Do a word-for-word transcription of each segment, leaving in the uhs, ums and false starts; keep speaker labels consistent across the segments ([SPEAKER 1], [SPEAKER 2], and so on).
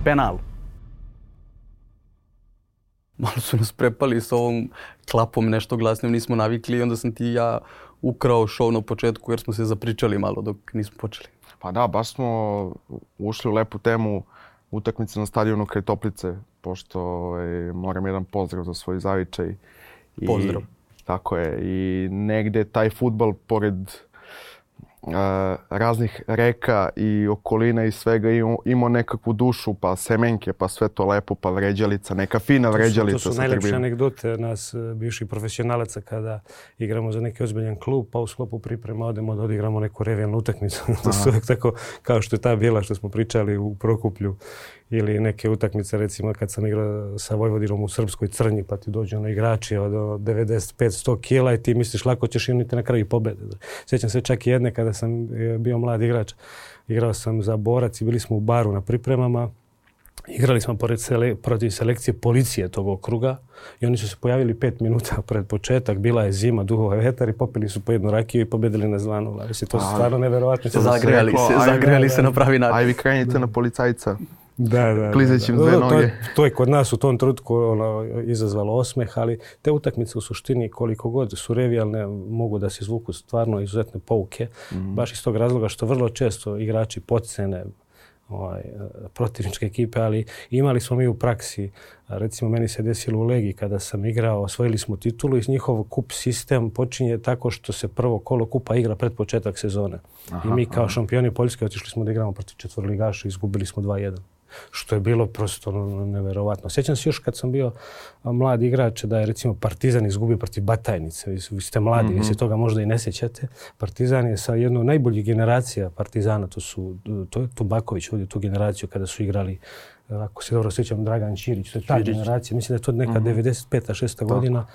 [SPEAKER 1] penal. Malo su nas prepali s ovom klapom nešto glasnim, nismo navikli i onda sam ti ja ukrao show na početku jer smo se zapričali malo dok nismo počeli.
[SPEAKER 2] Pa da, baš smo ušli u lepu temu utakmice na stadionu kraj Toplice, pošto e, moram jedan pozdrav za svoj zavičaj. I,
[SPEAKER 1] pozdrav.
[SPEAKER 2] Tako je. I negde taj fudbal, pored uh, raznih reka i okolina i svega, imao, imao nekakvu dušu, pa semenke, pa sve to lepo, pa vređalica, neka fina vređalica.
[SPEAKER 3] To su, to su najlepše anegdote nas bivših profesionalaca kada igramo za neki ozbiljan klub, pa u sklopu priprema odemo da odigramo neku revijalnu utakmicu. To su uvijek tako kao što je ta bila što smo pričali u Prokuplju. Ili neke utakmice, recimo kad sam igrao sa Vojvodinom u Srpskoj Crnji, pa ti dođu na igrači od devedeset pet do sto kila i ti misliš lako ćeš imati na kraju pobjede. Sjećam se čak i jedne kada sam bio mlad igrač. Igrao sam za Borac i bili smo u baru na pripremama. Igrali smo pored sele, protiv selekcije policije tog okruga i oni su se pojavili pet minuta pred početak. Bila je zima, duhova vetar i popili su po jednu rakiju i pobjedili na Zvanu. Mislim, to su stvarno neverovatno.
[SPEAKER 1] Zagrijali se, zagrijali se na pravi način.
[SPEAKER 2] Aj vi krenite na policajca.
[SPEAKER 3] Da, da,
[SPEAKER 2] klizećim dve noge.
[SPEAKER 3] To, to je kod nas u tom trenutku ono, izazvalo osmeh, ali te utakmice u suštini koliko god su revijalne mogu da se izvuku stvarno izuzetne pouke. Mm. Baš iz tog razloga što vrlo često igrači podcene ovaj, protivničke ekipe, ali imali smo mi u praksi, recimo meni se desilo u Legiji kada sam igrao, osvojili smo titulu i njihov kup sistem počinje tako što se prvo kolo kupa igra pred početak sezone. Aha, I mi kao aha. šampioni Poljske otišli smo da igramo protiv četvoroligaša i izgubili smo dva jedan. Što je bilo prosto neverovatno. Sjećam se još kad sam bio mlad igrač da je recimo Partizan izgubio protiv Batajnice. Vi ste mladi, mm-hmm. vi se toga možda i ne sjećate. Partizan je sa jednom najboljih generacija Partizana, to su to je Tubaković vodio tu generaciju kada su igrali, ako se dobro sjećam, Dragan Ćirić, to je ta Ćirić. generacija. Mislim da je to neka mm-hmm. devedeset peta šesta godina.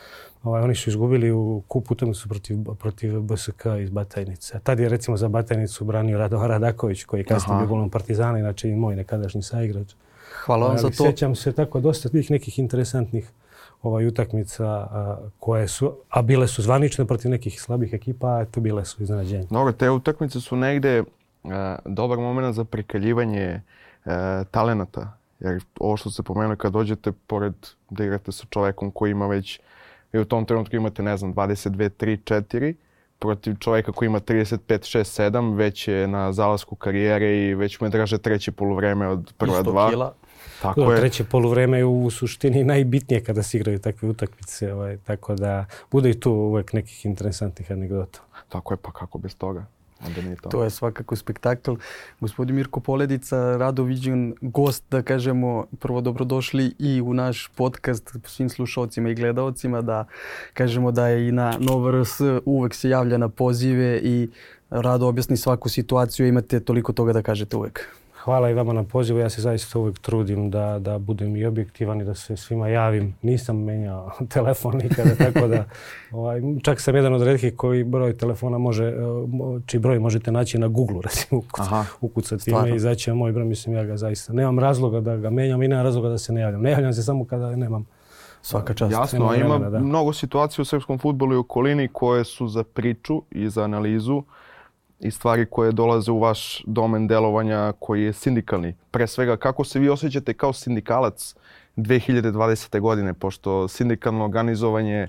[SPEAKER 3] Ovaj, oni su izgubili u kupu utakmicu protiv, protiv B S K iz Batajnice. A tad je recimo za Batajnicu branio Rado Radaković koji je kasnije bio golom Partizana, inače i moj nekadašnji saigrač.
[SPEAKER 1] Hvala vam za to.
[SPEAKER 3] Sjećam se tako dosta tih nekih interesantnih ovaj, utakmica a, koje su, a bile su zvanične protiv nekih slabih ekipa, a to bile su iznenađenje.
[SPEAKER 2] Dobro, te utakmice su negde uh, dobar moment za prikaljivanje uh, talenata. Jer ovo što se pomenuli, kad dođete pored da igrate sa čovekom koji ima već, i u tom trenutku imate, ne znam, dvadeset dve, tri, četiri, protiv čovjeka koji ima trideset pet, šest, sedam, već je na zalasku karijere i već mu je draže treće poluvreme od prva dva.
[SPEAKER 3] Isto kila. Tako to, je. Treće poluvreme je u suštini najbitnije kada se igraju takve utakmice. Ovaj, tako da bude i tu uvijek nekih interesantnih anegdota.
[SPEAKER 2] Tako je, pa kako bez toga. To.
[SPEAKER 1] to je svakako spektakl. Gospodin Mirko Poledica, rado viđen gost, da kažemo, prvo dobrodošli i u naš podcast svim slušalcima i gledalcima, da kažemo da je i na Nova R S uvek se javlja na pozive i rado objasni svaku situaciju, imate toliko toga da kažete uvek.
[SPEAKER 3] Hvala i vama na pozivu. Ja se zaista uvijek trudim da, da budem i objektivan i da se svima javim. Nisam menjao telefon nikada, tako da ovaj, čak sam jedan od retkih koji broj telefona može, čiji broj možete naći na Google, recimo, ukucati ime i izaći na moj broj. Mislim, ja ga zaista nemam razloga da ga menjam i nemam razloga da se ne javljam. Ne javljam se samo kada nemam
[SPEAKER 1] svaka čast.
[SPEAKER 2] Jasno, a ima vremena, mnogo situacija u srpskom fudbalu i okolini koje su za priču i za analizu i stvari koje dolaze u vaš domen delovanja koji je sindikalni. Pre svega, kako se vi osjećate kao sindikalac dve hiljade dvadesete. godine, pošto sindikalno organizovanje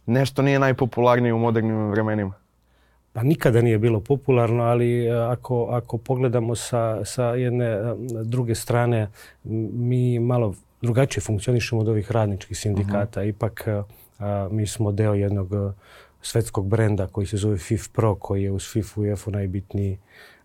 [SPEAKER 2] nešto nije najpopularnije u modernim vremenima?
[SPEAKER 3] Pa nikada nije bilo popularno, ali ako, ako pogledamo sa, sa jedne druge strane, mi malo drugačije funkcionišemo od ovih radničkih sindikata. Uh-huh. Ipak a, mi smo deo jednog svetskog brenda koji se zove F I F Pro, koji je uz FIFA i UEFA najbitniji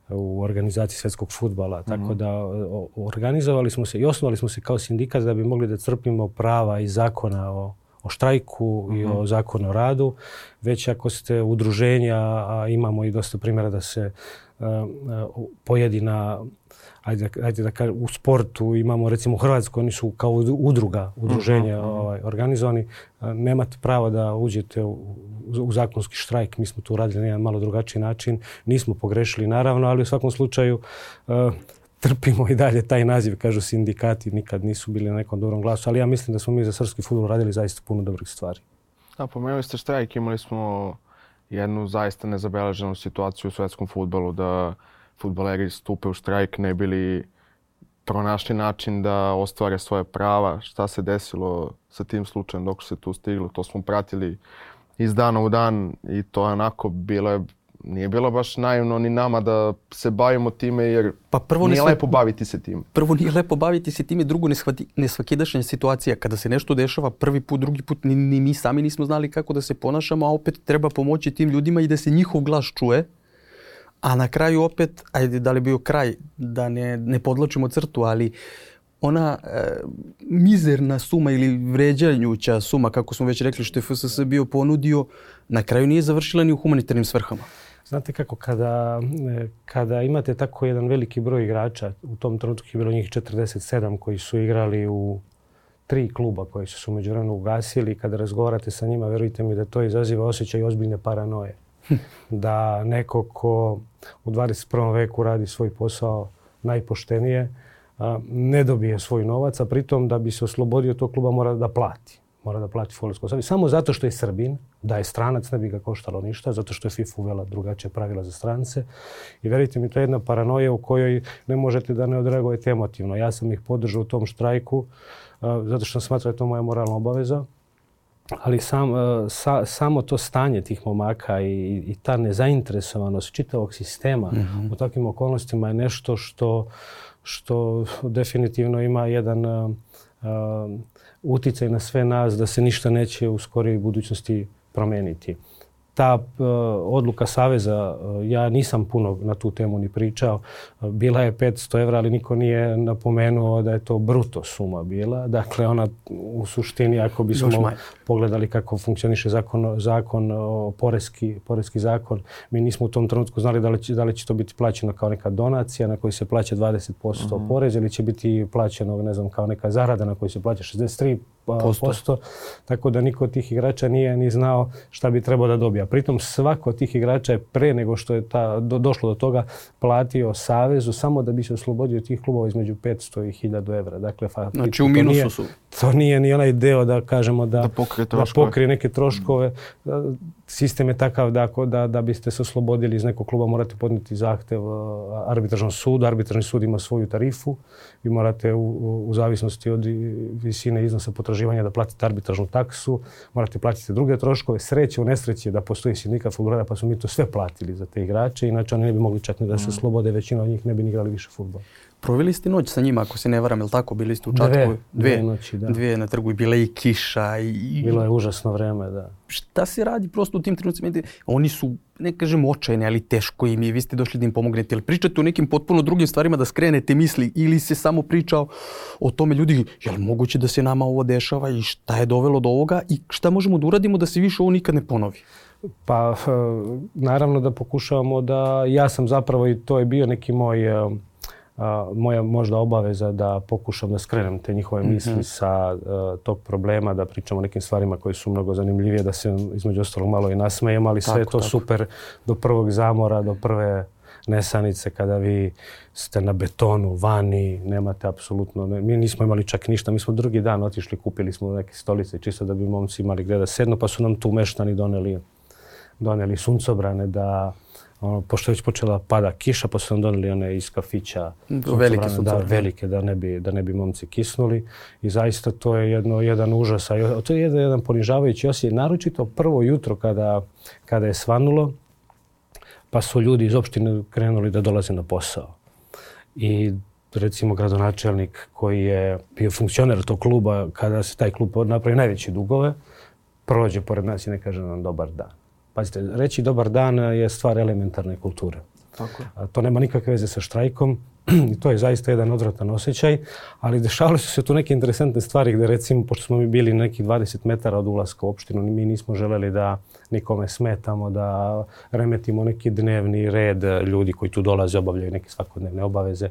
[SPEAKER 3] u organizaciji svetskog fudbala. Mm-hmm. Tako da o, organizovali smo se i osnovali smo se kao sindikat da bi mogli da crpimo prava i zakona o, o štrajku mm-hmm. i o zakonu o radu. Već ako ste udruženja, a imamo i dosta primjera da se uh, uh, pojedina, ajde, ajde da kažem, u sportu imamo, recimo u Hrvatskoj, oni su kao udruga, udruženja mm-hmm. ovaj, organizovani. Nemate pravo da uđete u, u zakonski štrajk. Mi smo tu radili na jedan malo drugačiji način. Nismo pogrešili, naravno, ali u svakom slučaju uh, trpimo i dalje taj naziv. Kažu sindikati, nikad nisu bili na nekom dobrom glasu, ali ja mislim da smo mi za srpski fudbal radili zaista puno dobrih stvari.
[SPEAKER 2] Da, pomenuli ste štrajk, imali smo jednu zaista nezabeleženu situaciju u svetskom fudbalu da fudbaleri stupe u štrajk ne bili pronašli način da ostvare svoje prava. Šta se desilo sa tim slučajem dok se tu stiglo, to smo pratili iz dana u dan i to je onako bilo je, nije bilo baš naivno ni nama da se bavimo time jer
[SPEAKER 1] pa prvo
[SPEAKER 2] nije
[SPEAKER 1] ne sve,
[SPEAKER 2] lepo baviti se time.
[SPEAKER 1] Prvo nije lepo baviti se time, drugo nesvakidašnja situacija. Kada se nešto dešava prvi put, drugi put, ni, ni mi sami nismo znali kako da se ponašamo, a opet treba pomoći tim ljudima i da se njihov glas čuje. A na kraju opet, ajde da li bio kraj, da ne, ne podlačimo crtu, ali ona e, mizerna suma ili vređanjuća suma, kako smo već rekli, što je F S S bio ponudio, na kraju nije završila ni u humanitarnim svrhama.
[SPEAKER 3] Znate kako, kada, kada imate tako jedan veliki broj igrača, u tom trenutku je bilo njih četrdeset sedam koji su igrali u tri kluba koji su se u međuvremenu ugasili, kada razgovarate sa njima, verujte mi da to izaziva osjećaj ozbiljne paranoje. Da neko ko u dvadeset prvom veku radi svoj posao najpoštenije, ne dobije svoj novac, a pritom da bi se oslobodio tog kluba mora da plati. Mora da plati fudbalsku savez. Samo zato što je Srbin, da je stranac, ne bi ga koštalo ništa, zato što je FIFA uvela drugačije pravila za strance. I verujte mi, to je jedna paranoja u kojoj ne možete da ne odreagujete emotivno. Ja sam ih podržao u tom štrajku, zato što sam smatrao da je to moja moralna obaveza. Ali sam, sa, samo to stanje tih momaka i, i ta nezainteresovanost čitavog sistema mm-hmm. u takvim okolnostima je nešto što, što definitivno ima jedan uh, uh, uticaj na sve nas da se ništa neće u skorijoj budućnosti promeniti. Ta uh, odluka Saveza, uh, ja nisam puno na tu temu ni pričao, uh, bila je petsto evra, ali niko nije napomenuo da je to bruto suma bila. Dakle, ona u suštini, ako bismo pogledali kako funkcioniše zakon, zakon o poreski, poreski zakon, mi nismo u tom trenutku znali da li će, da li će to biti plaćeno kao neka donacija na koju se plaća dvadeset posto mm-hmm. porez ili će biti plaćeno, ne znam, kao neka zarada na koju se plaća šezdeset tri posto. Tako da niko od tih igrača nije ni znao šta bi trebao da dobija. Pritom svako od tih igrača je pre nego što je ta, do, došlo do toga platio Savezu samo da bi se oslobodio tih klubova između petsto i hiljadu evra. Dakle,
[SPEAKER 1] znači u minusu
[SPEAKER 3] nije,
[SPEAKER 1] su.
[SPEAKER 3] To nije ni onaj deo da kažemo da,
[SPEAKER 2] da, pokrije,
[SPEAKER 3] da pokrije neke troškove. Sistem je takav da, da, da biste se oslobodili iz nekog kluba morate podnijeti zahtev arbitražnom sudu. Arbitražni sud ima svoju tarifu. Vi morate u, u, u zavisnosti od visine iznosa potraživanja da platite arbitražnu taksu, morate platiti druge troškove. Sreće u nesreći da postoji sindikat fudbalera, pa su mi to sve platili za te igrače. Inače oni ne bi mogli čak ni da se slobode, većina od njih ne bi ni igrali više fudbal.
[SPEAKER 1] Proveli ste noć sa njima, ako se ne varam, je li tako? Bili ste u Čatku?
[SPEAKER 3] Dve, dve noći, da.
[SPEAKER 1] Dvije na trgu i bila i kiša. I...
[SPEAKER 3] Bilo je užasno vreme, da.
[SPEAKER 1] Šta se radi prosto u tim trenucima? Oni su, ne kažem očajni, ali teško im je. Vi ste došli da im pomognete. Ili pričate o nekim potpuno drugim stvarima da skrenete misli ili se samo priča o tome ljudi, je li moguće da se nama ovo dešava i šta je dovelo do ovoga i šta možemo da uradimo da se više ovo nikad ne ponovi?
[SPEAKER 3] Pa naravno da pokušavamo da, ja sam zapravo i to je bio neki moj Uh, moja možda obaveza da pokušam da skrenem te njihove misli mm-hmm. sa uh, tog problema, da pričamo o nekim stvarima koje su mnogo zanimljivije, da se između ostalog malo i nasmejem, ali tako, sve je to tako. Super do prvog zamora, do prve nesanice kada vi ste na betonu, vani, nemate apsolutno, ne, mi nismo imali čak ništa, mi smo drugi dan otišli, kupili smo neke stolice čisto da bi momci imali gdje da sednu, pa su nam tu meštani doneli, doneli suncobrane da ono, pošto je već počela pada kiša, pa su nam doneli one iz kafića.
[SPEAKER 1] Velike su
[SPEAKER 3] da, velike, da ne bi, da ne bi momci kisnuli. I zaista to je jedno, jedan užas. A to je jedan, jedan ponižavajući osjećaj. Naročito prvo jutro kada, kada je svanulo, pa su ljudi iz opštine krenuli da dolaze na posao. I recimo gradonačelnik koji je bio funkcioner tog kluba, kada se taj klub napravi najveće dugove, prođe pored nas i ne kaže nam dobar dan. Pazite, reći dobar dan je stvar elementarne kulture.
[SPEAKER 1] Tako je.
[SPEAKER 3] To nema nikakve veze sa štrajkom i to je zaista jedan odvratan osjećaj, ali dešavale su se tu neke interesantne stvari gdje recimo, pošto smo mi bili nekih dvadeset metara od ulaska u opštinu, mi nismo želeli da nikome smetamo, da remetimo neki dnevni red ljudi koji tu dolaze, obavljaju neke svakodnevne obaveze.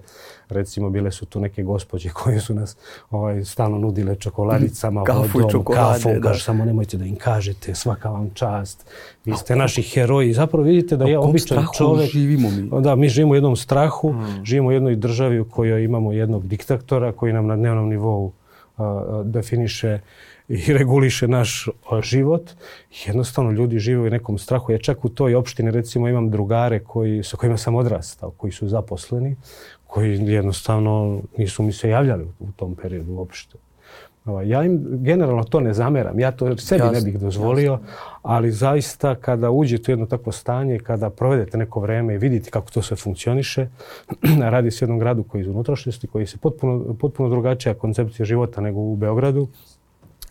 [SPEAKER 3] Recimo, bile su tu neke gospođe koje su nas ovaj, stalno nudile čokoladicama,
[SPEAKER 1] kafu
[SPEAKER 3] vodom,
[SPEAKER 1] i čokolade.
[SPEAKER 3] Kafu, kaže, samo nemojte da im kažete, svaka vam čast, vi ste naši heroji. Zapravo vidite da je običan čovjek.
[SPEAKER 1] Živimo mi?
[SPEAKER 3] Da, mi živimo u jednom strahu, hmm. živimo u jednoj državi u kojoj imamo jednog diktatora koji nam na dnevnom nivou uh, definiše i reguliše naš život. Jednostavno ljudi žive u nekom strahu. Ja čak u toj opštini recimo imam drugare koji, sa kojima sam odrastao, koji su zaposleni, koji jednostavno nisu mi se javljali u tom periodu uopšte. Ja im generalno to ne zameram, ja to sebi jasne, ne bih dozvolio, jasne. Ali zaista kada uđete u jedno takvo stanje, kada provedete neko vreme i vidite kako to sve funkcioniše, radi se o jednom gradu koji je iz unutrašnjosti, koji je potpuno, potpuno drugačija koncepcija života nego u Beogradu,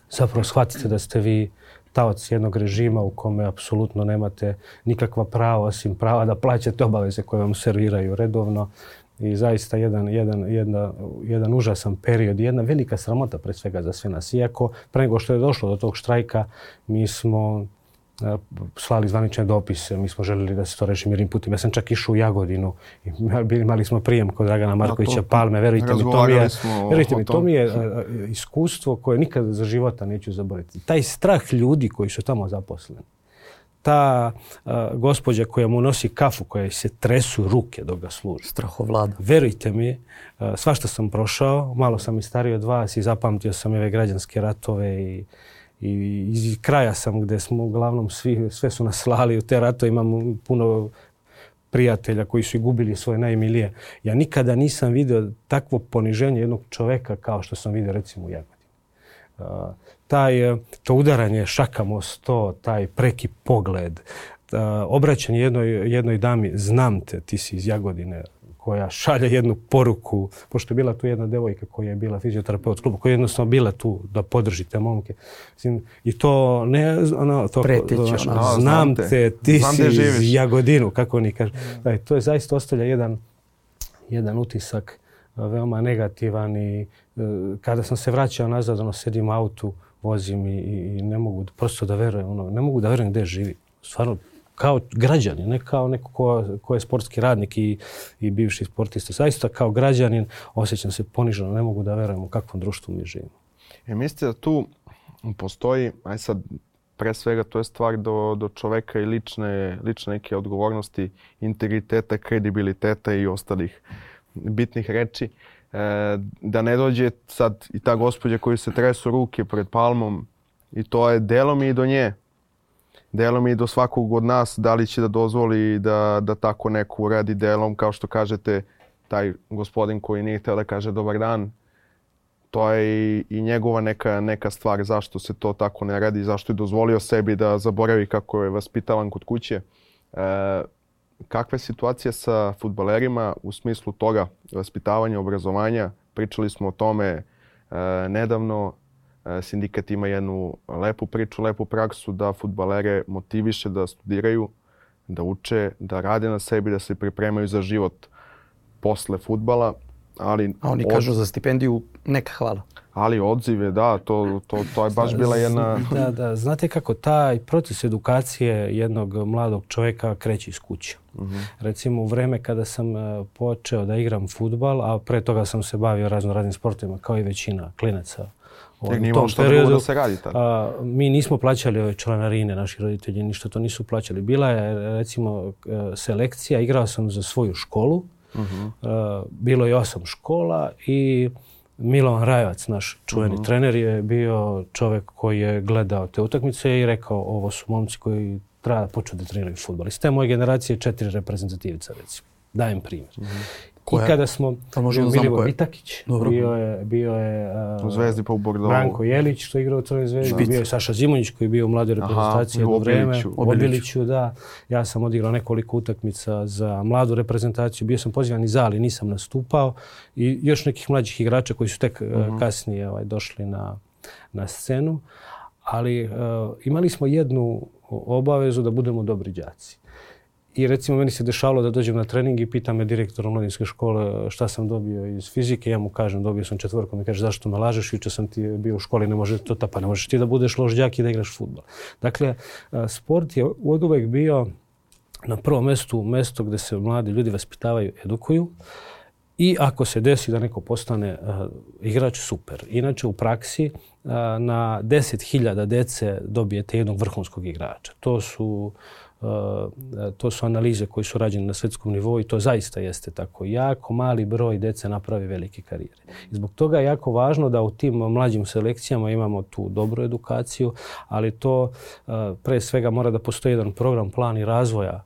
[SPEAKER 3] zapravo shvatite da ste vi taoc jednog režima u kome apsolutno nemate nikakva prava osim prava da plaćate obaveze koje vam serviraju redovno. I zaista jedan, jedan, jedna, jedan užasan period, jedna velika sramota pred svega za sve nas. Iako pre nego što je došlo do tog štrajka, mi smo uh, slali zvanične dopise, mi smo željeli da se to reši mirnim putem. Ja sam čak išao u Jagodinu i imali smo prijem kod Dragana Markovića Palme. Verujte mi, to mi je, verujte mi, to mi je uh, iskustvo koje nikada za života neću zaboraviti. Taj strah ljudi koji su tamo zaposleni. Ta uh, gospođa koja mu nosi kafu, koja se tresu ruke dok ga služi.
[SPEAKER 1] Strahovlada.
[SPEAKER 3] Verujte mi, uh, svašta sam prošao, malo sam i stariji od vas i zapamtio sam ove građanske ratove i, i iz kraja sam gdje smo uglavnom svi, sve su nas slali u te ratove. Imamo puno prijatelja koji su i gubili svoje najmilije. Ja nikada nisam vidio takvo poniženje jednog čoveka kao što sam vidio recimo u Jagodini. Uh, taj, to udaranje šakam o sto, taj preki pogled, uh, obraćanje jednoj, jednoj dami, znam te, ti si iz Jagodine, koja šalje jednu poruku, pošto je bila tu jedna devojka koja je bila fizioterapeut klubu, koja je jednostavno bila tu da podrži te momke. I to ne, ono, to,
[SPEAKER 1] Pretić,
[SPEAKER 3] ono,
[SPEAKER 1] ono,
[SPEAKER 3] znam, znam te, ti znam si iz Jagodinu, kako oni kažu. Da, to je zaista ostavlja jedan, jedan utisak veoma negativan i kada sam se vraćao nazad, ono, sedim u autu, vozim i, i ne mogu prosto da verujem, ono, ne mogu da verujem gdje živi. Stvarno, kao građanin, ne kao neko ko, ko je sportski radnik i, i bivši sportista. Zaista kao građanin osjećam se poniženo, ne mogu da verujem u kakvom društvu mi živimo.
[SPEAKER 2] E, mislite da tu postoji, aj sad, pre svega to je stvar do, do čoveka i lične, lične neke odgovornosti, integriteta, kredibiliteta i ostalih bitnih reči. E, da ne dođe sad i ta gospođa koji se tresu ruke pred Palmom i to je delom i do nje. Delom i do svakog od nas, da li će da dozvoli da, da tako neko uradi delom, kao što kažete, taj gospodin koji nije htio da kaže dobar dan, to je i, i njegova neka, neka stvar zašto se to tako ne radi, zašto je dozvolio sebi da zaboravi kako je vaspitavan kod kuće. E, kakva je situacija sa fudbalerima u smislu toga vaspitavanja, obrazovanja? Pričali smo o tome e, nedavno. Sindikat ima jednu lepu priču, lepu praksu da fudbalere motiviše da studiraju, da uče, da rade na sebi, da se pripremaju za život posle fudbala. Ali
[SPEAKER 1] a oni od... kažu za stipendiju neka hvala.
[SPEAKER 2] Ali odzive, da, to, to, to je baš bila jedna...
[SPEAKER 3] Da, da, znate kako, taj proces edukacije jednog mladog čovjeka kreće iz kuće. Uh-huh. Recimo u vreme kada sam počeo da igram fudbal, a pre toga sam se bavio razno raznim sportovima kao i većina klinaca.
[SPEAKER 2] Tek nije imalo što periodu, da se radi tako.
[SPEAKER 3] A, mi nismo plaćali ove članarine, naši roditelji ništa to nisu plaćali. Bila je recimo selekcija, igrao sam za svoju školu, uh-huh. a, bilo je osam škola i Milan Rajevac, naš čuveni uh-huh. trener, je bio čovjek koji je gledao te utakmice i rekao ovo su momci koji treba da počnu da treniraju fudbal. Iz te moje generacije četiri reprezentativica recimo. Dajem primjer. Uh-huh. I kada smo Milivo Itakić, bio je, bio je
[SPEAKER 2] uh, u Zvezdi pa u Bordeauxu.
[SPEAKER 3] Branko Jelić što je igrao u Crvenoj Zvezdi, Špic. Bio je Saša Zimonjić koji je bio u mladoj reprezentaciji jedno vreme. U Obiliću, da. Ja sam odigrao nekoliko utakmica za mladu reprezentaciju, bio sam pozivan i za, ali nisam nastupao. I još nekih mlađih igrača koji su tek uh-huh. kasnije ovaj, došli na, na scenu. Ali uh, imali smo jednu obavezu da budemo dobri đaci. I recimo meni se dešavalo da dođem na trening i pita me direktor omladinske škole šta sam dobio iz fizike. Ja mu kažem dobio sam četvorku. Mi kaže zašto me lažeš? Juče sam ti bio u školi, ne može to ta, pa ne možeš ti da budeš loš đak i da igraš fudbal. Dakle, sport je oduvek bio na prvom mjestu mesto gdje se mladi ljudi vaspitavaju, edukuju. I ako se desi da neko postane uh, igrač, super. Inače u praksi uh, na deset hiljada dece dobijete jednog vrhunskog igrača. To su Uh, to su analize koje su rađene na svjetskom nivou i to zaista jeste tako. Jako mali broj dece napravi velike karijere. I zbog toga je jako važno da u tim mlađim selekcijama imamo tu dobru edukaciju, ali to uh, pre svega mora da postoji jedan program, plan i razvoja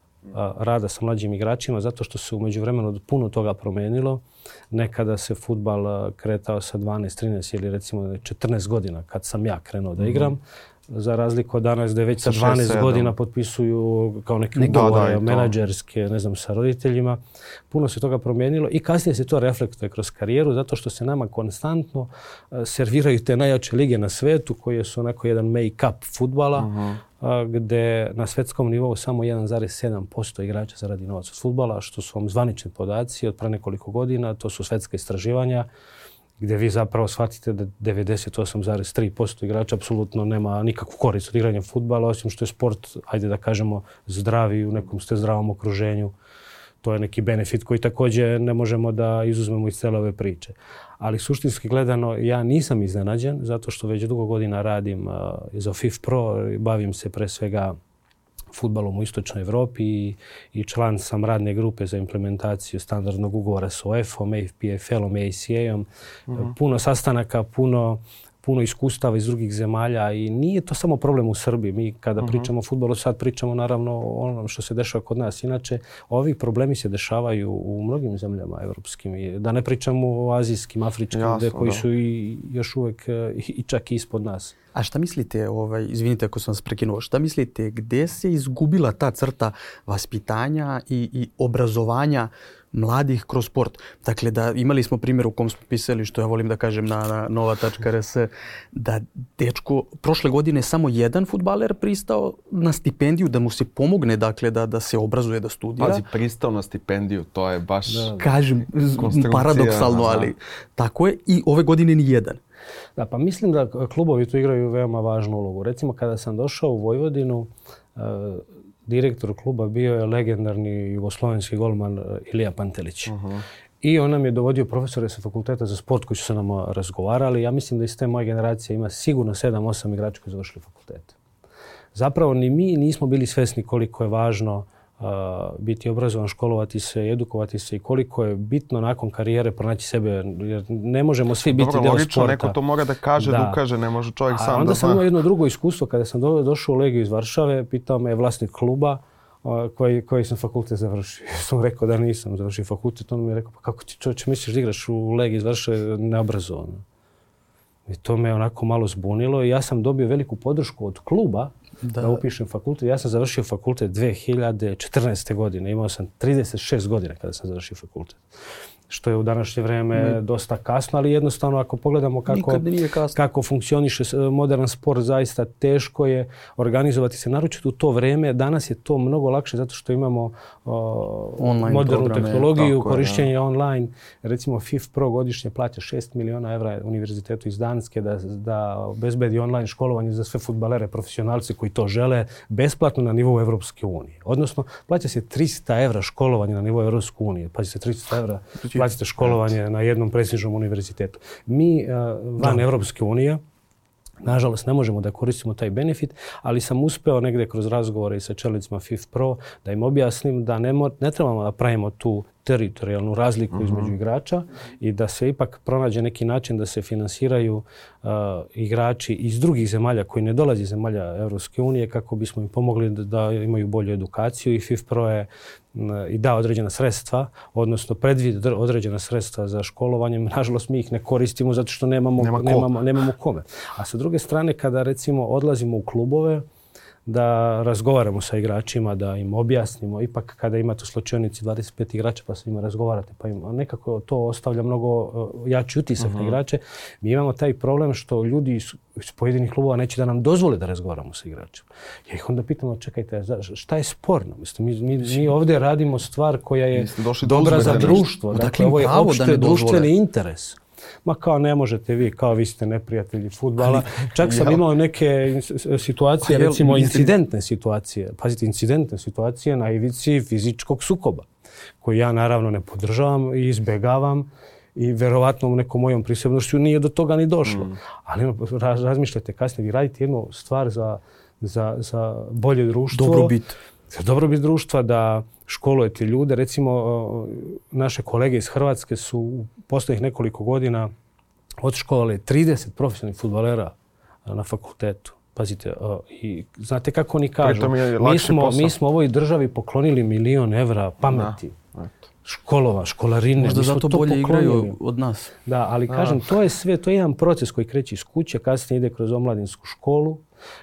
[SPEAKER 3] rada sa mlađim igračima zato što se u međuvremenu puno toga promijenilo. Nekada se fudbal kretao sa dvanaest, trinaest ili recimo četrnaest godina kad sam ja krenuo da igram. Mm-hmm. Za razliku od danas da već sa dvanaest godina potpisuju kao neke ugovore menadžerske, ne znam, sa roditeljima. Puno se toga promijenilo i kasnije se to reflektuje kroz karijeru zato što se nama konstantno serviraju te najjače lige na svetu koje su onako jedan make-up fudbala. Mm-hmm. Gde na svetskom nivou samo jedan zarez sedam posto igrača zaradi novac od fudbala, što su vam zvanični podaci od pre nekoliko godina, to su svetska istraživanja, gdje vi zapravo shvatite da devedeset osam zarez tri posto igrača apsolutno nema nikakvu korist od igranja fudbala, osim što je sport, ajde da kažemo, zdravi, u nekom ste zdravom okruženju. To je neki benefit koji također ne možemo da izuzmemo iz cele ove priče. Ali suštinski gledano, ja nisam iznenađen zato što već dugo godina radim uh, za FIFPro, bavim se pre svega fudbalom u istočnoj Evropi i, i član sam radne grupe za implementaciju standardnog ugovora s U E F-om, P F L-om i A C A-om. Mm-hmm. Puno sastanaka, puno puno iskustava iz drugih zemalja i nije to samo problem u Srbiji. Mi kada uh-huh. pričamo o fudbalu, sad pričamo naravno o onom što se dešava kod nas. Inače, ovi problemi se dešavaju u mnogim zemljama evropskim. Da ne pričamo o azijskim, afričkim, Jasno, gde koji da. su i još uvek i čak i ispod nas.
[SPEAKER 1] A šta mislite, ovaj, izvinite ako sam vas prekinuo, šta mislite, gdje se izgubila ta crta vaspitanja i, i obrazovanja mladih kroz sport? Dakle, da imali smo primjer u kom smo pisali, što ja volim da kažem na, na nova tačka r s, da dečko, prošle godine samo jedan fudbaler pristao na stipendiju, da mu se pomogne, dakle, da, da se obrazuje, da studira.
[SPEAKER 2] Pazi, pristao na stipendiju, to je baš...
[SPEAKER 1] Da, kažem, paradoksalno, ali tako je. I ove godine ni jedan.
[SPEAKER 3] Da, pa mislim da klubovi tu igraju veoma važnu ulogu. Recimo, kada sam došao u Vojvodinu, uh, direktor kluba bio je legendarni jugoslovenski golman Ilija Pantelić. Uh-huh. I on nam je dovodio profesore sa fakulteta za sport koji su se nam razgovarali. Ja mislim da iz te moje generacije ima sigurno sedam osam igrača koji završili fakultet. Zapravo ni mi nismo bili svesni koliko je važno uh, biti obrazovan, školovati se, edukovati se i koliko je bitno nakon karijere pronaći sebe. Jer ne možemo svi biti
[SPEAKER 2] Dobro,
[SPEAKER 3] deo
[SPEAKER 2] logično,
[SPEAKER 3] sporta.
[SPEAKER 2] Neko to mora da kaže, da, da ukaže, ne može čovjek
[SPEAKER 3] A
[SPEAKER 2] sam da...
[SPEAKER 3] Onda sam imao jedno drugo iskustvo. Kada sam do, došao u Legiju iz Varšave, pitao me vlasnik kluba uh, koji, koji sam fakultet završio. Ja sam rekao da nisam završio fakultet. On mi je rekao, pa kako ti čovječe misliš da igraš u Legiji iz Varšave neobrazovano? I to me onako malo zbunilo i ja sam dobio veliku podršku od kluba da, da upišem fakultet. Ja sam završio fakultet dve hiljade četrnaeste. godine. Imao sam trideset šest godina kada sam završio fakultet. Što je u današnje vrijeme ne. dosta kasno, ali jednostavno ako pogledamo kako, kako funkcioniše modern sport, zaista teško je organizovati se. Naročito u to vrijeme, danas je to mnogo lakše zato što imamo uh, modernu programe, tehnologiju, korišćenje je, online. Recimo FIFPro godišnje plaća šest miliona evra univerzitetu iz Danske da, da obezbedi online školovanje za sve fudbalere, profesionalce koji to žele, besplatno na nivou Evropske unije. Odnosno, plaća se tristo evra školovanje na nivou Evropske unije. Plaća se tristo evra platite školovanje na jednom prestižnom univerzitetu. Mi uh, van da. Evropske unije, nažalost, ne možemo da koristimo taj benefit, ali sam uspeo negde kroz razgovore i sa čelnicima FIFPro da im objasnim da ne, mo- ne trebamo da pravimo tu teritorijalnu razliku uh-huh. između igrača i da se ipak pronađe neki način da se finansiraju uh, igrači iz drugih zemalja koji ne dolazi iz zemalja Evropske unije kako bismo im pomogli da, da imaju bolju edukaciju i FIFPro je i da određena sredstva, odnosno predvid određena sredstva za školovanje. Nažalost, mi ih ne koristimo zato što nemamo, Nema ko. nemamo, nemamo kome. A sa druge strane, kada recimo odlazimo u klubove, da razgovaramo sa igračima, da im objasnimo. Ipak kada imate u slučajnici dvadeset pet igrača pa sa njima razgovarate, pa im nekako to ostavlja mnogo jači utisak uh-huh. na igrače. Mi imamo taj problem što ljudi iz, iz pojedinih klubova neće da nam dozvole da razgovaramo sa igračima. Ja ih onda pitamo, čekajte, šta je sporno? Mislim, mi, mi, mi ovdje radimo stvar koja je dobra za društvo. Dakle, ovo je opšte društveni interes. Ma kao ne možete vi, kao vi ste neprijatelji fudbala. Čak sam imao neke situacije, recimo incidentne situacije. Pazite, incidentne situacije na ivici fizičkog sukoba, koji ja naravno ne podržavam i izbegavam i verovatno u nekom mojom prisebnošću nije do toga ni došlo. Mm. Ali raz, razmišljate kasnije, vi radite jednu stvar za, za, za bolje društvo.
[SPEAKER 1] Dobrobit.
[SPEAKER 3] Za dobrobit društva, da školujete ljude. Recimo, naše kolege iz Hrvatske su u posljednjih nekoliko godina odškolovali trideset profesionalnih fudbalera na fakultetu. Pazite, uh, i znate kako oni kažu,
[SPEAKER 2] mi
[SPEAKER 3] smo, mi smo ovoj državi poklonili milion evra pameti. Da. Školova, školarine.
[SPEAKER 1] Možda zato
[SPEAKER 3] to
[SPEAKER 1] bolje
[SPEAKER 3] poklonili.
[SPEAKER 1] Igraju od nas.
[SPEAKER 3] Da, ali da. Kažem, to je sve, to je jedan proces koji kreće iz kuće, kasnije ide kroz omladinsku školu,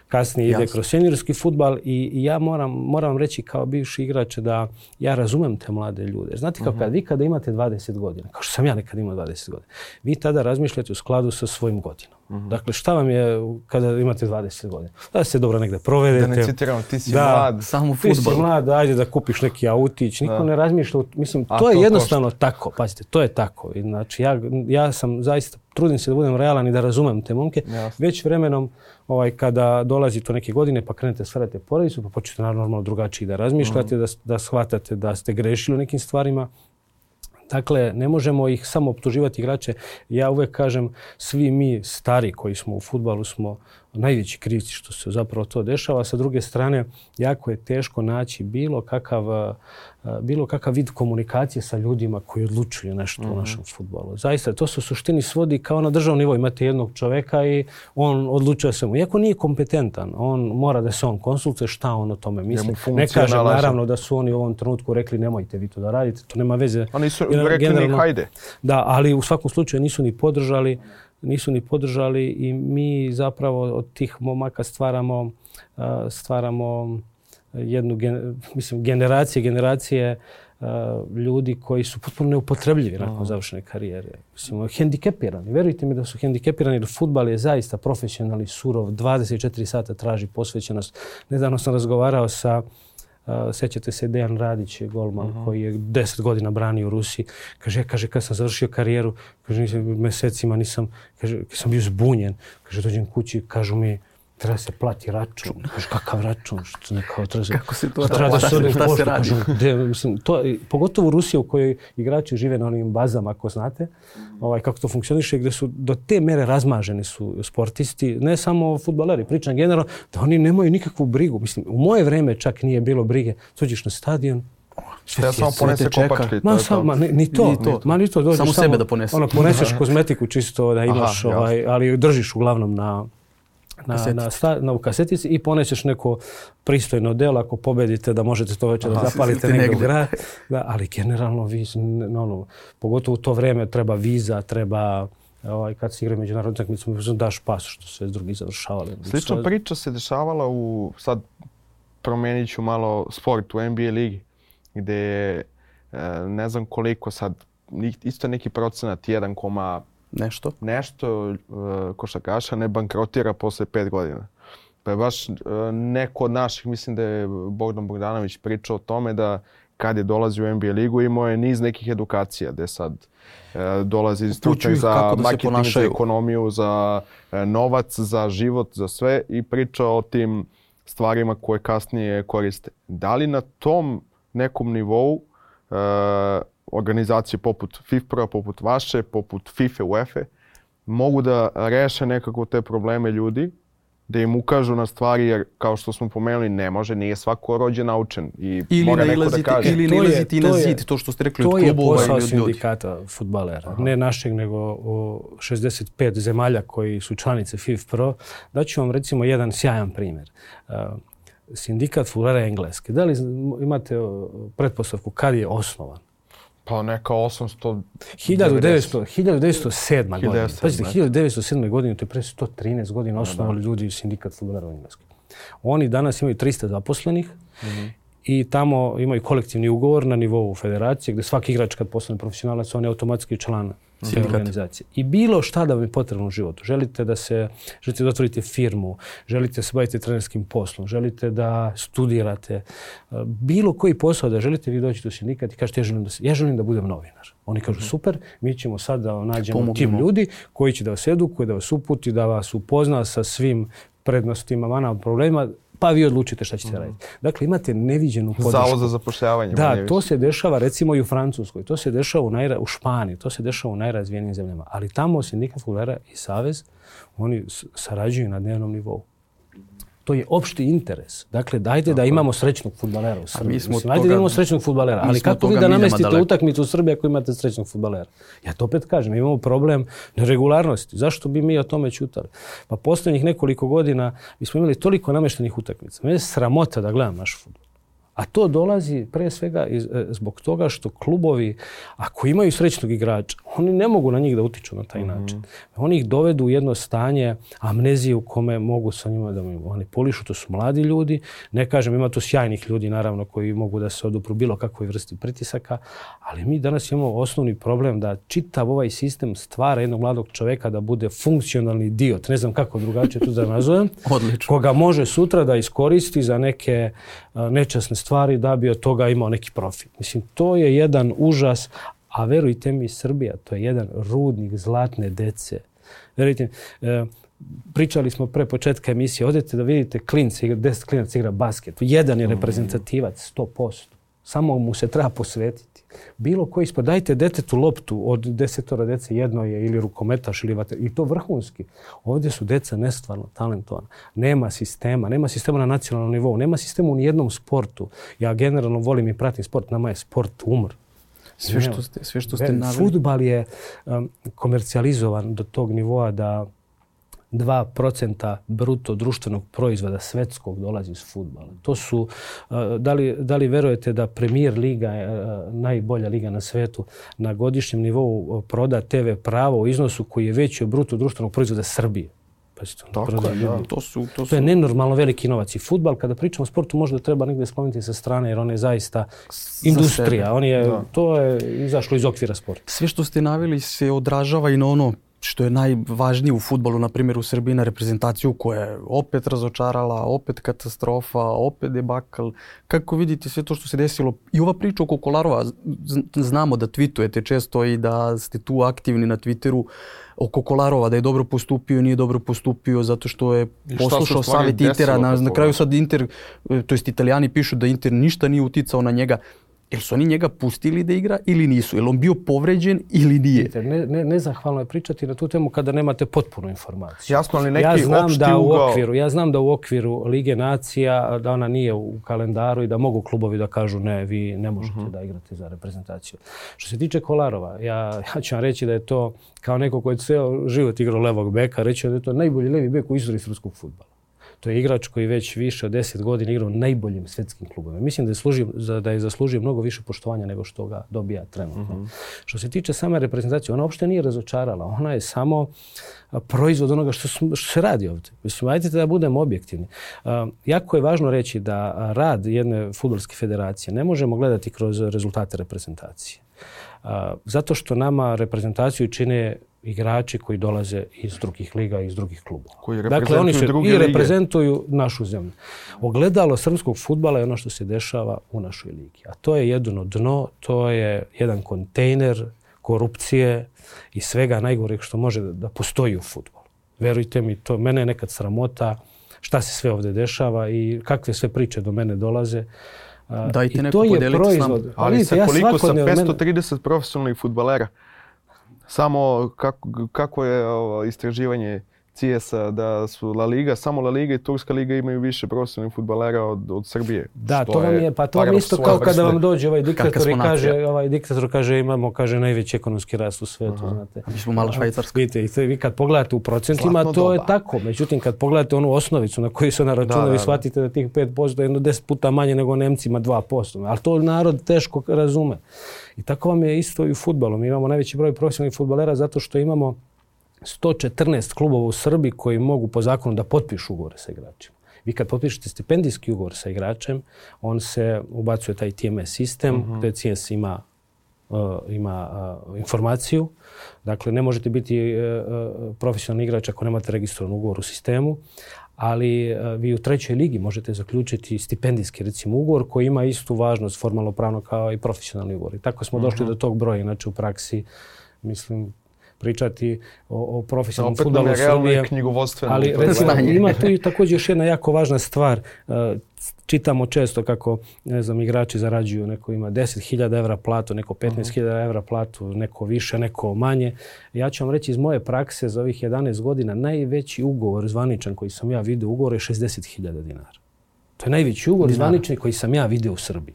[SPEAKER 3] kasnije ide Jasne. kroz seniorski fudbal i, i ja moram, moram vam reći kao bivši igrač da ja razumem te mlade ljude. Znate kao uh-huh. kad vi kada imate dvadeset godina, kao što sam ja nekad imao dvadeset godina, vi tada razmišljate u skladu sa svojim godinom. Uh-huh. Dakle, šta vam je kada imate dvadeset godina? Da se dobro negde provedete.
[SPEAKER 2] Da ne citiramo, ti si
[SPEAKER 3] da,
[SPEAKER 2] mlad.
[SPEAKER 1] Samo fudbal.
[SPEAKER 3] Ti si mlad, ajde da kupiš neki autić. Niko
[SPEAKER 2] da.
[SPEAKER 3] ne razmišlja. Mislim, to,
[SPEAKER 2] to
[SPEAKER 3] je jednostavno
[SPEAKER 2] košta.
[SPEAKER 3] tako. Pazite, to je tako. I, znači, ja, ja sam zaista, trudim se da budem realan i da razumem te momke.
[SPEAKER 2] Jasne.
[SPEAKER 3] Već vremenom, ovaj, kada dolazi to neke godine, pa krenete stvarate porodicu, pa počnete normalno drugačije da razmišljate, uh-huh. da, da shvatate da ste grešili u nekim stvarima. Dakle, ne možemo ih samo optuživati igrače. Ja uvek kažem, svi mi stari koji smo u fudbalu smo najveći krivci što se zapravo to dešava. Sa druge strane, jako je teško naći bilo kakav, bilo kakav vid komunikacije sa ljudima koji odlučuju nešto mm-hmm. u našem fudbalu. Zaista, to se u suštini svodi kao na državnom nivou. Imate jednog čoveka i on odlučuje svemu. Iako nije kompetentan, on mora da se on konsultuje šta on o tome misli. Ne kažem naravno da su oni u ovom trenutku rekli nemojte vi to da radite, to nema veze.
[SPEAKER 2] Oni su rekli ni hajde.
[SPEAKER 3] Da, ali u svakom slučaju nisu ni podržali. nisu ni podržali i mi zapravo od tih momaka stvaramo, stvaramo jednu mislim, generacije, generacije ljudi koji su potpuno neupotrebljivi nakon završene karijere. Mislim, hendikepirani. Verujte mi da su hendikepirani jer fudbal je zaista profesionalni, surov, dvadeset četiri sata traži posvećenost. Nedavno sam razgovarao sa Uh, sećate se Dejan Radić, golman uh-huh. koji je deset godina branio u Rusiji. Kaže, kaže, kad sam završio karijeru, kaže, nisam, mesecima nisam, kaže, sam bio zbunjen. Kaže, dođem kući, kažu mi, treba se plati račun. Kaže, kakav račun? Što ne kao treba se...
[SPEAKER 1] Kako se to
[SPEAKER 3] treba da se
[SPEAKER 1] šta se radi?
[SPEAKER 3] De, mislim, to, pogotovo u Rusiji u kojoj igrači žive na onim bazama, ako znate, ovaj, kako to funkcioniše, gdje su do te mere razmaženi su sportisti, ne samo fudbaleri, pričam generalno, da oni nemaju nikakvu brigu. Mislim, u moje vreme čak nije bilo brige. Dođeš na stadion,
[SPEAKER 2] ja samo ponese kopačke.
[SPEAKER 3] Ma, sam, ma ni, ni to,
[SPEAKER 1] ni to.
[SPEAKER 3] Ma, ni to dođeš,
[SPEAKER 1] samo sebe da poneseš.
[SPEAKER 3] Ono, poneseš kozmetiku čisto da imaš, Aha, ovaj, ali držiš uglavnom na Na, na, sta, na u kasetici i ponećeš neko pristojno delo ako pobedite da možete to večer da zapalite negdje u grad. Da, ali generalno vi, no, pogotovo u to vrijeme treba viza, treba ovaj, kad se igraju međunarodne utakmice, daš pas što sve drugi završavali.
[SPEAKER 2] Slična priča se dešavala u, sad promijenit ću malo sport u N B A ligi gdje je ne znam koliko sad, isto neki procenat jedan koma
[SPEAKER 1] Nešto.
[SPEAKER 2] Nešto uh, košarkaša ne bankrotira posle pet godina. Pa je baš uh, neko od naših, mislim da je Bogdan Bogdanović pričao o tome da kad je dolazio u N B A ligu imao je niz nekih edukacija gdje sad uh, dolazi stručnjak za marketing, za ekonomiju, za uh, novac, za život, za sve i pričao o tim stvarima koje kasnije koriste. Da li na tom nekom nivou uh, organizacije poput FIFPro, poput vaše, poput FIFA, UEFA mogu da reše nekako te probleme ljudi, da im ukažu na stvari, jer kao što smo pomenuli, ne može, nije svako rođen naučen i
[SPEAKER 1] ili
[SPEAKER 2] mora neko da kaže.
[SPEAKER 1] Ili ne ilaziti na zid, to što ste rekli od klubova ili od ljudi.
[SPEAKER 3] To je posao sindikata fudbalera, Aha. ne našeg, nego o šezdeset pet zemalja koji su članice FIFPro. Daću vam recimo jedan sjajan primjer. Uh, sindikat fudbalera Engleske. Da li imate pretpostavku kad je osnovan?
[SPEAKER 2] Pa neka osamsto...
[SPEAKER 3] hiljadu devetsto sedma godina. Pazite, hiljadu devetsto sedme godine, to je pre sto trinaest godina osnovali ljudi sindikat fudbalera u Engleskoj. Oni danas imaju tristo zaposlenih mm-hmm. i tamo imaju kolektivni ugovor na nivou federacije gdje svaki igrač kad postane profesionalac, on je automatski član te organizacije. I bilo šta da vam je potrebno u životu. Želite da se, želite da otvorite firmu, želite da se bavite trenerskim poslom, želite da studirate, bilo koji posao da želite, vi dođete u sindikat i kažete ja želim da, ja želim da budem novinar. Oni kažu super, mi ćemo sad da nađemo Pomognemo. tim ljudi koji će da vas edukuje, da vas uputi, da vas upozna sa svim prednostima, manama, problemima, pa vi odlučite šta ćete mm. raditi. Dakle, imate neviđenu podršku.
[SPEAKER 2] Zavod za zapošljavanje.
[SPEAKER 3] Da, to se dešava recimo i u Francuskoj, to se dešava u, najra, u Španiji, to se dešava u najrazvijenijim zemljama. Ali tamo sindikat fudbalera i savez, oni sarađuju na dnevnom nivou. To je opšti interes. Dakle, dajte da imamo srećnog fudbalera u Srbiji.
[SPEAKER 1] Mislim,
[SPEAKER 3] Ajde
[SPEAKER 1] toga,
[SPEAKER 3] da imamo srećnog fudbalera. Ali kako vi da namestite utakmicu u Srbiji ako imate srećnog fudbalera? Ja to opet kažem, imamo problem neregularnosti. Zašto bi mi o tome ćutali? Pa posljednjih nekoliko godina mi smo imali toliko nameštenih utakmica. Mene je sramota da gledam naš fudbal. A to dolazi pre svega iz, zbog toga što klubovi, ako imaju srećnog igrača, oni ne mogu na njih da utiču na taj mm-hmm. način. Oni ih dovedu u jedno stanje amnezije u kome mogu sa njima da manipulišu. To su mladi ljudi. Ne kažem, ima tu sjajnih ljudi, naravno, koji mogu da se odupru bilo kakvoj vrsti pritisaka, ali mi danas imamo osnovni problem da čitav ovaj sistem stvara jednog mladog čoveka da bude funkcionalni idiot. Ne znam kako drugačije tu da nazovem.
[SPEAKER 1] Odlično.
[SPEAKER 3] Koga može sutra da iskoristi za neke uh, nečasne stvari da bi od toga imao neki profit. Mislim, to je jedan užas, a verujte mi, Srbija, to je jedan rudnik zlatne dece. Verujte mi, e, pričali smo pre početka emisije, odete da vidite klince, deset klinaca igra basket. Jedan je reprezentativac, sto posto. Samo mu se treba posvetiti. Bilo koji sport, dajte detetu loptu od desetora dece, jedno je ili rukometaš ili vater, i to vrhunski. Ovdje su deca nestvarno talentovana. Nema sistema, nema sistema na nacionalnom nivou, nema sistema u nijednom sportu. Ja generalno volim i pratim sport, nama je sport umr.
[SPEAKER 1] Sve što ste, sve što ste naveli.
[SPEAKER 3] Fudbal je um, komercijalizovan do tog nivoa da dva procenta bruto društvenog proizvoda svetskog dolazi iz fudbala. To su, da li, da li verujete da Premier liga, najbolja liga na svetu, na godišnjem nivou proda te ve pravo u iznosu koji je veći od bruto društvenog proizvoda Srbije? Pazite,
[SPEAKER 1] Tako je, da. To, su, to, su...
[SPEAKER 3] to je nenormalno veliki novac. I fudbal, kada pričamo o sportu, možda treba negdje skloniti sa strane, jer on je zaista industrija. On je, to je izašlo iz okvira sporta.
[SPEAKER 1] Sve što ste naveli se odražava i na ono što je najvažnije u fudbalu, na primjer u Srbiji, na reprezentaciju koja je opet razočarala, opet katastrofa, opet debakl. Kako vidite sve to što se desilo? I ova priča oko Kolarova, znamo da tweetujete često i da ste tu aktivni na Twitteru oko Kolarova, da je dobro postupio, nije dobro postupio zato što je poslušao savjet Intera. Na, na kraju sad Inter, to jest Italijani pišu da Inter ništa nije uticao na njega. Jel su oni njega pustili da igra ili nisu? Jel on bio povređen ili nije?
[SPEAKER 3] Ne, ne, nezahvalno je pričati na tu temu kada nemate potpunu informaciju.
[SPEAKER 2] Jasno, ali neki
[SPEAKER 3] ja znam
[SPEAKER 2] opšti
[SPEAKER 3] da u
[SPEAKER 2] ugao...
[SPEAKER 3] okviru, ja znam da u okviru Lige nacija, da ona nije u kalendaru i da mogu klubovi da kažu ne, vi ne možete uh-huh. da igrate za reprezentaciju. Što se tiče Kolarova, ja, ja ću vam reći da je to kao neko koji je ceo život igrao levog beka, reći da je to najbolji levi bek u istoriji srpskog fudbala. To je igrač koji već više od deset godina igrao najboljim svjetskim klubovima. Mislim da je, služio, da je zaslužio mnogo više poštovanja nego što ga dobija trenutno. Mm-hmm. Što se tiče same reprezentacije, ona uopšte nije razočarala. Ona je samo proizvod onoga što, što se radi ovdje. Mislim, ajde da budemo objektivni. Uh, jako je važno reći da rad jedne fudbalske federacije ne možemo gledati kroz rezultate reprezentacije. Uh, zato što nama reprezentaciju čine igrači koji dolaze iz drugih liga i iz drugih klubova.
[SPEAKER 2] Koji
[SPEAKER 3] dakle, oni se
[SPEAKER 2] druge
[SPEAKER 3] i
[SPEAKER 2] lige.
[SPEAKER 3] reprezentuju našu zemlju. Ogledalo srpskog fudbala je ono što se dešava u našoj ligi. A to je jedno dno, to je jedan kontejner korupcije i svega najgoreg što može da postoji u fudbalu. Verujte mi, to mene je nekad sramota šta se sve ovdje dešava i kakve sve priče do mene dolaze.
[SPEAKER 1] Dajte neko podeliti s nama.
[SPEAKER 2] Ali sa koliko sa petsto trideset profesionalnih fudbalera? Samo kako, kako je ovo istraživanje C I S-a da su La Liga, samo La Liga i Turska liga imaju više profesionalnih fudbalera od, od Srbije.
[SPEAKER 3] Da, to vam je, pa to vam isto kao kada vam dođe ovaj diktator i kaže, ovaj diktator kaže imamo kaže najveći ekonomski rast u svijetu, uh-huh. znate.
[SPEAKER 1] Mi smo malo Švajcarska.
[SPEAKER 3] Vidite, i vi kad pogledate u procentima, Zlatno to doba. Je tako. Međutim, kad pogledate onu osnovicu na koju se ona računa, vi shvatite da tih pet posto je jedno deset puta manje nego Nemcima dva posto. Ali to narod teško razume. I tako vam je isto i u fudbalu. Mi imamo najveći broj profesionalnih fudbalera zato što imamo sto četrnaest klubova u Srbiji koji mogu po zakonu da potpišu ugovore sa igračima. Vi kad potpišete stipendijski ugovor sa igračem, on se ubacuje taj T M S sistem, uh-huh. gdje C S ima, uh, ima uh, informaciju. Dakle, ne možete biti uh, profesionalni igrač ako nemate registrovan ugovor u sistemu, ali uh, vi u trećoj ligi možete zaključiti stipendijski recimo ugovor koji ima istu važnost formalno pravno kao i profesionalni ugovor. I tako smo uh-huh. došli do tog broja. Inače u praksi, mislim, pričati o, o profesionalnom
[SPEAKER 2] opet
[SPEAKER 3] fudbalu Srbije.
[SPEAKER 2] Ali
[SPEAKER 3] recimo, ima tu i također još jedna jako važna stvar. Uh, čitamo često kako, ne znam, igrači zarađuju, neko ima deset hiljada evra platu, neko petnaest hiljada evra platu, neko više, neko manje. Ja ću vam reći iz moje prakse za ovih jedanaest godina, najveći ugovor zvaničan koji sam ja vidio, ugovor je šezdeset hiljada dinara. To je najveći ugovor zvanični koji sam ja vidio u Srbiji.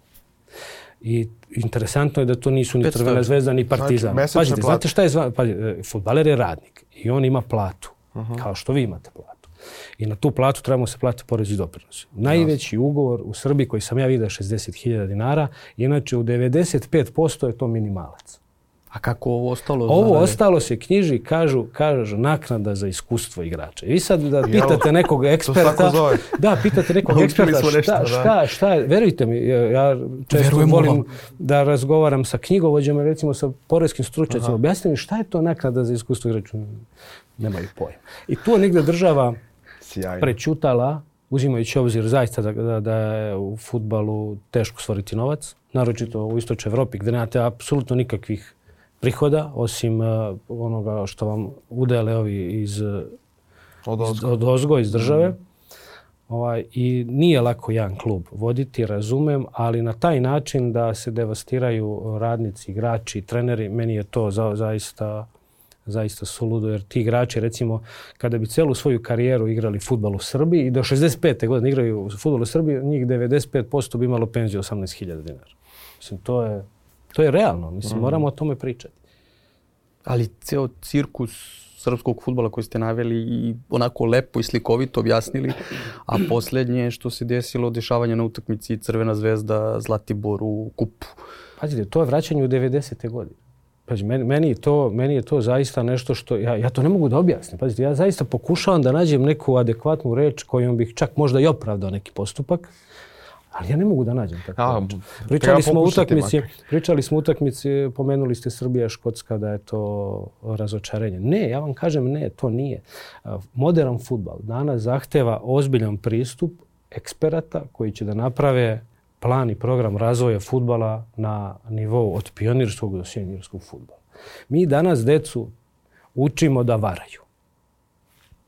[SPEAKER 3] I interesantno je da to nisu ni Crvena zvezda, ni Partizan.
[SPEAKER 2] Znači,
[SPEAKER 3] Pazite, znate šta je zvan... Pazite, fudbaler je radnik i on ima platu,
[SPEAKER 2] uh-huh.
[SPEAKER 3] kao što vi imate platu. I na tu platu trebamo se platiti porez i doprinosi. Najveći ugovor u Srbiji koji sam ja vidio je šezdeset hiljada dinara, inače u devedeset pet posto je to minimalac.
[SPEAKER 1] A kako ovo ostalo?
[SPEAKER 3] Ovo zarade? Ostalo se knjiži, kažu, kažu naknada za iskustvo igrača. I vi sad da pitate nekog eksperta, da, pitate nekog eksperta šta, šta, šta je, verujte mi, ja često Verujemo volim vam. da razgovaram sa knjigovođama, recimo sa poreskim stručnjacima, objasnite mi šta je to naknada za iskustvo igrača. Nemaju pojma. I tu je negdje država Sjajno. prećutala, uzimajući obzir zaista da, da, da je u fudbalu teško stvoriti novac, naročito u istočnoj Evropi gdje nemate apsolutno nikakvih prihoda, osim uh, onoga što vam udele ovi iz,
[SPEAKER 2] od,
[SPEAKER 3] iz, od ozgo, iz države. Mm. Ovaj, I nije lako jedan klub voditi, razumem, ali na taj način da se devastiraju radnici, igrači, treneri, meni je to za, zaista, zaista suludo, jer ti igrači, recimo, kada bi celu svoju karijeru igrali fudbal u Srbiji i do šezdeset pete godine igraju fudbal u Srbiji, njih devedeset pet posto bi imalo penziju osamnaest hiljada dinara. Mislim, to je... To je realno, mislim, mm. moramo o tome pričati.
[SPEAKER 1] Ali ceo cirkus srpskog fudbala koji ste naveli i onako lepo i slikovito objasnili, a posljednje što se desilo, dešavanje na utakmici Crvena zvezda Zlatibor u kupu.
[SPEAKER 3] Pazite, to je vraćanje u devedesete godine. Pazite, meni, meni, je to, meni je to zaista nešto što... Ja, ja to ne mogu da objasnim. Pazite, ja zaista pokušavam da nađem neku adekvatnu reč kojom bih čak možda i opravdao neki postupak. Ali ja ne mogu da nađem tako. Pričali smo utakmici, pričali smo utakmici, pomenuli ste Srbija, Škotska, da je to razočarenje. Ne, ja vam kažem ne, to nije. Modern fudbal danas zahteva ozbiljan pristup eksperata koji će da naprave plan i program razvoja fudbala na nivou od pionirskog do seniorskog fudbala. Mi danas decu učimo da varaju.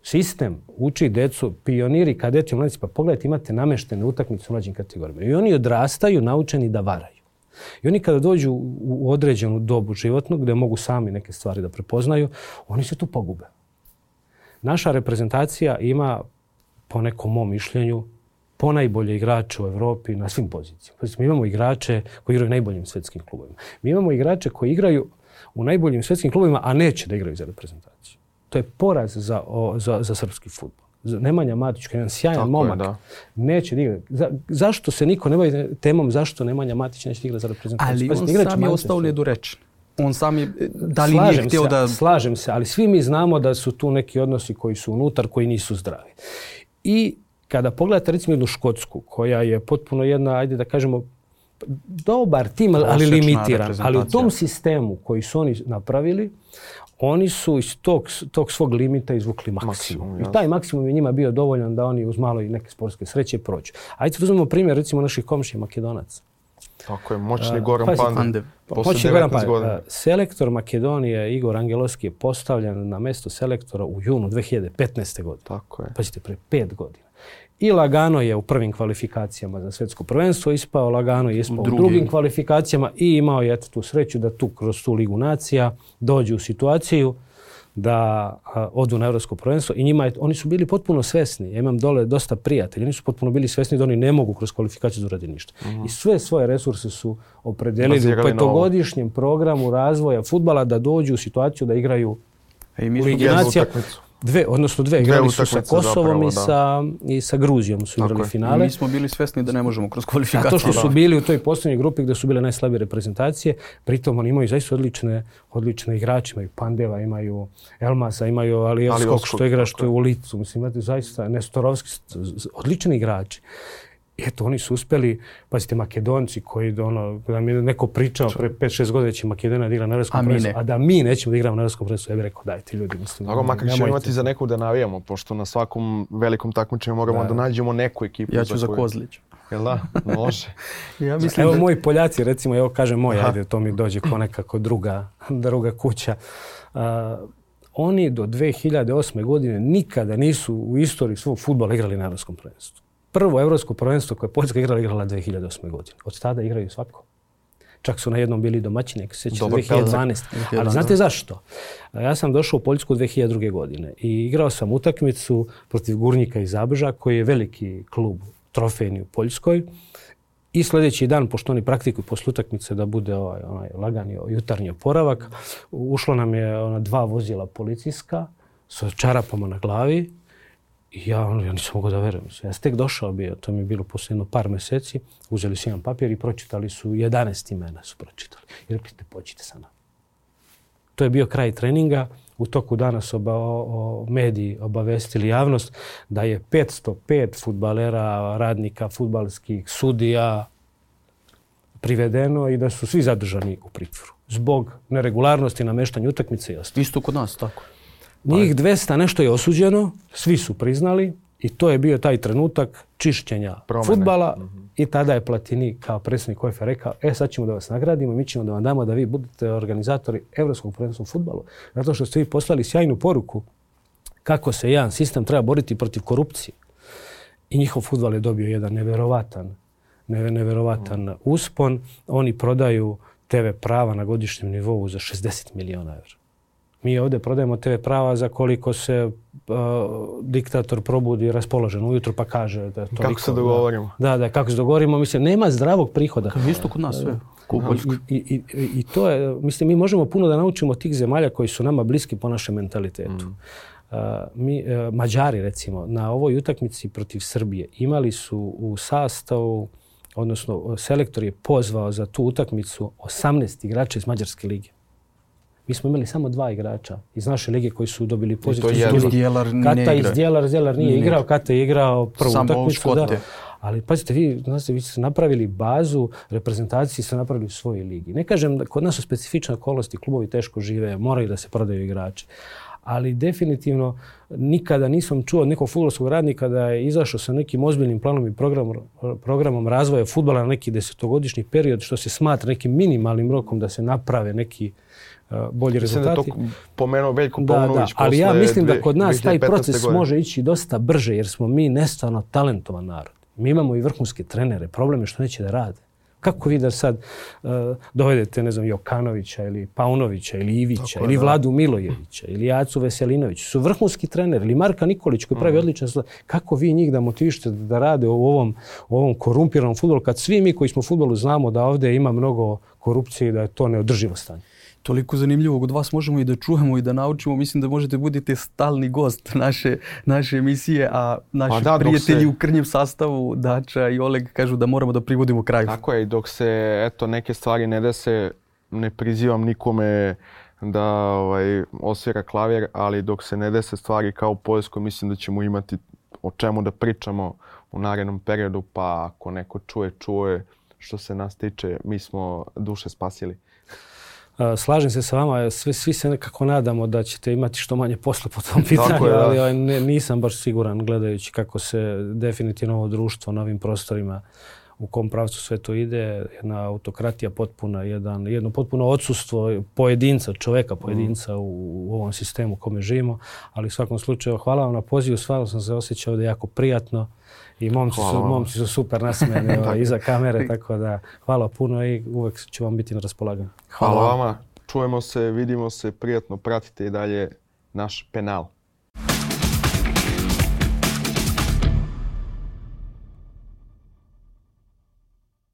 [SPEAKER 3] Sistem uči decu, pioniri, kadeti, mladici, pa pogledajte, imate nameštene utakmice u mlađim kategorijama. I oni odrastaju naučeni da varaju. I oni kada dođu u određenu dobu životnu, gdje mogu sami neke stvari da prepoznaju, oni se tu pogube. Naša reprezentacija ima, po nekom mom mišljenju, ponajbolje igrače u Evropi na svim pozicijama. Mi imamo igrače koji igraju u najboljim svjetskim klubovima. Mi imamo igrače koji igraju u najboljim svjetskim klubovima, a neće da igraju za reprezentaciju. To je poraz za, o, za, za srpski fudbal. Nemanja Matić, jedan sjajan Tako momak, je, neće da igra. Za, zašto se niko ne bavi temom zašto Nemanja Matić neće da igra za reprezentaciju?
[SPEAKER 1] Ali on sam je ostao nedorečen. On sam je, da li nije htio da...
[SPEAKER 3] Slažem se, ali svi mi znamo da su tu neki odnosi koji su unutar, koji nisu zdravi. I kada pogledate recimo jednu Škotsku, koja je potpuno jedna, ajde da kažemo, dobar tim, ali limitiran. Ali u tom sistemu koji su oni napravili, oni su iz tog, tog svog limita izvukli maksimum. maksimum I taj maksimum je njima bio dovoljan da oni uz malo i neke sportske sreće prođu. Ajde da uzmemo primjer recimo naših komšija Makedonaca.
[SPEAKER 2] Tako je, moćni Goran uh, Pandev.
[SPEAKER 3] Moćni Goran Pandev. Selektor Makedonije Igor Angelovski je postavljen na mjesto selektora u junu dve hiljade petnaeste. godine.
[SPEAKER 2] Tako je.
[SPEAKER 3] Pazite, pre pet godina. I lagano je u prvim kvalifikacijama za svjetsko prvenstvo ispao, lagano je ispao u Drugi. drugim kvalifikacijama i imao je tu sreću da tu kroz tu Ligu nacija dođu u situaciju da a, odu na Evropsko prvenstvo i njima je, oni su bili potpuno svesni. Ja imam dole dosta prijatelja, oni su potpuno bili svesni da oni ne mogu kroz kvalifikaciju da uradi ništa. Uh-huh. I sve svoje resurse su opredelili u petogodišnjem programu razvoja fudbala da dođu u situaciju da igraju u Ligi nacija. Dve, odnosno dve, igrali su sa Kosovom zapravo, i, sa, i sa Gruzijom su igrali finale.
[SPEAKER 1] I mi smo bili svesni da ne možemo kroz kvalifikaciju.
[SPEAKER 3] Zato što su bili u toj posljednjoj grupi gdje su bile najslabije reprezentacije. Pritom oni imaju zaista odlične, odlične igrače. Imaju Pandeva, imaju Elmasa, imaju Alijevskog što igra što je u licu. Mislim, imate zaista Nestorovski, odlični igrači. I eto, oni su uspjeli, pazite, Makedonci koji, ono, da mi neko pričao pre pet šest godina će Makedonija da igra na Evropskom prvenstvu, a da mi nećemo da igramo na Evropskom prvenstvu, ja bih rekao, dajte ljudi, mislim.
[SPEAKER 2] Dobro, makar ćemo imati za neku da navijamo, pošto na svakom velikom takmičenju moramo da, da nađemo neku ekipu.
[SPEAKER 1] Ja ću za, za Kozlić.
[SPEAKER 2] Jel da? Može.
[SPEAKER 3] Ja mislim evo da... moji Poljaci, recimo, evo kažem moj, ajde, to mi dođe kao nekako druga, druga kuća. Uh, oni do dve hiljade osme. godine nikada nisu u istoriji svog fudbala igrali na evropskom prvenstvu. Prvo evropsko prvenstvo koje je Poljska igrala, igrala dve hiljade osme. godine. Od tada igraju svako. Čak su na jednom bili domaćini, ako se sjeća, dve hiljade dvanaeste. Ali znate zašto? Ja sam došao u Poljsku dve hiljade druge. godine i igrao sam utakmicu protiv Gurnjika iz Zabrza, koji je veliki klub trofejni u Poljskoj. I sljedeći dan, pošto oni praktikuju posle utakmice da bude ovaj, onaj lagani jutarnji oporavak, ušlo nam je ona dva vozila policijska sa čarapama na glavi. I ja, ja nisam mogao da verujem. Ja sam tek došao bio, to mi je bilo posle jedno par mjeseci, uzeli su jedan papir i pročitali su jedanaest imena su pročitali. I rekli ste, pođite sa nama. To je bio kraj treninga. U toku dana su oba, o, mediji obavestili javnost da je petsto pet fudbalera, radnika, fudbalskih sudija privedeno i da su svi zadržani u pritvoru zbog neregularnosti, nameštanja utakmice i ostalo.
[SPEAKER 1] Isto kod nas, tako.
[SPEAKER 3] Njih dvesta nešto je osuđeno, svi su priznali i to je bio taj trenutak čišćenja fudbala. Mm-hmm. I tada je Platini kao predsjednik U E F A rekao, e sad ćemo da vas nagradimo, mi ćemo da vam damo da vi budete organizatori Evropskog prvenstva u fudbalu. Zato što ste vi poslali sjajnu poruku kako se jedan sistem treba boriti protiv korupcije. I njihov fudbal je dobio jedan neverovatan, neverovatan mm. uspon. Oni prodaju te ve prava na godišnjem nivou za šezdeset miliona eura. Mi ovdje prodajemo te ve prava za koliko se uh, diktator probudi raspoložen ujutro pa kaže da je toliko.
[SPEAKER 2] Kako se dogovorimo.
[SPEAKER 3] Da, da, kako se dogovorimo. Mislim, nema zdravog prihoda.
[SPEAKER 1] Kao isto kod nas sve.
[SPEAKER 3] I, i, i, I to je, mislim, mi možemo puno da naučimo od tih zemalja koji su nama bliski po našem mentalitetu. Mm. Uh, mi, uh, Mađari, recimo, na ovoj utakmici protiv Srbije imali su u sastavu, odnosno selektor je pozvao za tu utakmicu osamnaest igrača iz Mađarske lige. Mi smo imali samo dva igrača iz naše lige koji su dobili pozitivnu. Kata iz Djelar, Djelar nije igrao, Kata je igrao prvu utakmicu. Da. Ali pazite, vi, znači, vi ste napravili bazu, reprezentaciji ste napravili u svojoj ligi. Ne kažem da kod nas su specifične okolnosti, klubovi teško žive, moraju da se prodaju igrači. Ali definitivno nikada nisam čuo od nekog fudbalskog radnika da je izašao sa nekim ozbiljnim planom i programom, programom razvoja fudbala na neki desetogodišnji period, što se smatra nekim minimalnim rokom da se naprave neki uh, bolji rezultati.
[SPEAKER 2] Mislim da to pomenuo Veljko Paunović.
[SPEAKER 3] Da, da. Ali ja mislim da kod nas taj proces godine. može ići dosta brže jer smo mi nestvarno talentovan narod. Mi imamo i vrhunske trenere. Problem je što neće da rade. Kako vi da sad uh, dovedete, ne znam, Jokanovića ili Paunovića ili Ivića Tako ili da. Vladu Milojevića ili Jacu Veselinovića. Su vrhunski treneri. Ili Marka Nikolić koji pravi mm. odličan sled. Kako vi njih da motivišete da rade u ovom, u ovom korumpiranom fudbalu kad svi mi koji smo u fudbalu znamo da ovdje ima mnogo korupcije i da je to neodrživo stanje.
[SPEAKER 1] Toliko zanimljivog od vas možemo i da čujemo i da naučimo. Mislim da možete budete stalni gost naše, naše emisije, a naši da, prijatelji se... u krnjem sastavu, Dača i Oleg, kažu da moramo da privodimo kraju.
[SPEAKER 2] Tako je, i dok se eto, neke stvari ne dese, ne prizivam nikome da ovaj, osvira klavir, ali dok se ne dese stvari kao u Poljskoj, mislim da ćemo imati o čemu da pričamo u narednom periodu, pa ako neko čuje, čuje. Što se nas tiče, mi smo duše spasili.
[SPEAKER 3] Slažem se sa vama, svi, svi se nekako nadamo da ćete imati što manje posla po tom pitanju, je, ali ne, nisam baš siguran gledajući kako se definitivno ovo društvo na ovim prostorima, u kom pravcu sve to ide, jedna autokratija potpuna, jedan, jedno potpuno odsustvo pojedinca, čoveka pojedinca mm. u, u ovom sistemu u kome živimo, ali u svakom slučaju hvala vam na pozivu, stvarno sam se osjećao da je jako prijatno. I momci su, momci su super nasmijani iza kamere, tako da hvala puno i uvek ću vam biti na raspolaganju.
[SPEAKER 2] Hvala, hvala vama, čujemo se, vidimo se, prijatno pratite i dalje naš penal.